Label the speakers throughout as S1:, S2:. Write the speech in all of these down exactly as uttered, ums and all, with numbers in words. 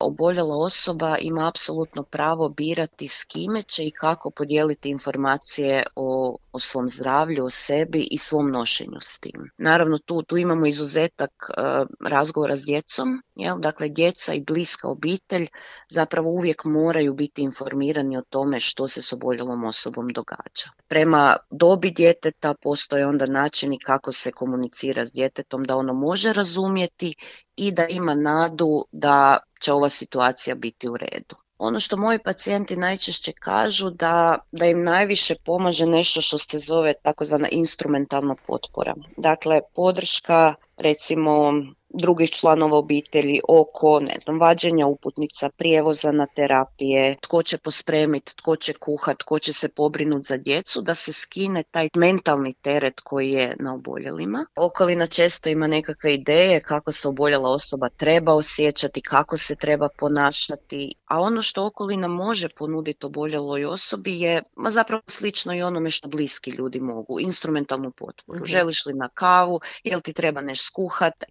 S1: oboljela osoba ima apsolutno pravo birati s kime će i kako podijeliti informacije o, o svom zdravlju, o sebi i svom nošenju s tim. Naravno, tu, tu imamo izuzetak uh, razgovora s djecom, jel? Dakle, djeca i bliska obitelj zapravo uvijek moraju biti informirani o tome što se s oboljelom osobom događa. Prema dobi djeteta postoje onda načini kako se komunicira s djetetom da ono može razumjeti i da ima nadu da će ova situacija biti u redu. Ono što moji pacijenti najčešće kažu da, da im najviše pomaže nešto što se zove takozvana instrumentalna potpora. Dakle, podrška recimo drugih članova obitelji oko, ne znam, vađenja uputnica, prijevoza na terapije, tko će pospremiti, tko će kuhat, tko će se pobrinuti za djecu, da se skine taj mentalni teret koji je na oboljelima. Okolina često ima nekakve ideje kako se oboljela osoba treba osjećati, kako se treba ponašati, a ono što okolina može ponuditi oboljeloj osobi je ma zapravo slično i onome što bliski ljudi mogu, instrumentalnu potporu. Mm-hmm. Želiš li na kavu, jel ti treba nešto skuhati?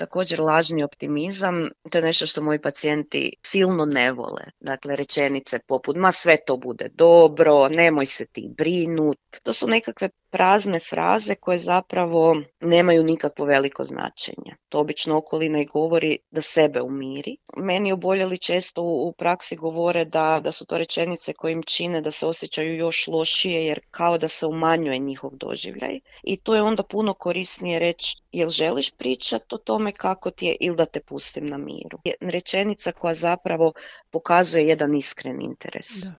S1: Također lažni optimizam, to je nešto što moji pacijenti silno ne vole. Dakle, rečenice poput ma sve to bude dobro, nemoj se ti brinut. To su nekakve prazne fraze koje zapravo nemaju nikakvo veliko značenje. To obično okolina i govori da sebe umiri. Meni oboljeli često u praksi govore da, da su to rečenice koje im čine da se osjećaju još lošije jer kao da se umanjuje njihov doživljaj. I to je onda puno korisnije reći jel želiš pričati o tome kako ti je ili da te pustim na miru. Rečenica koja zapravo pokazuje jedan iskren interes.
S2: Da.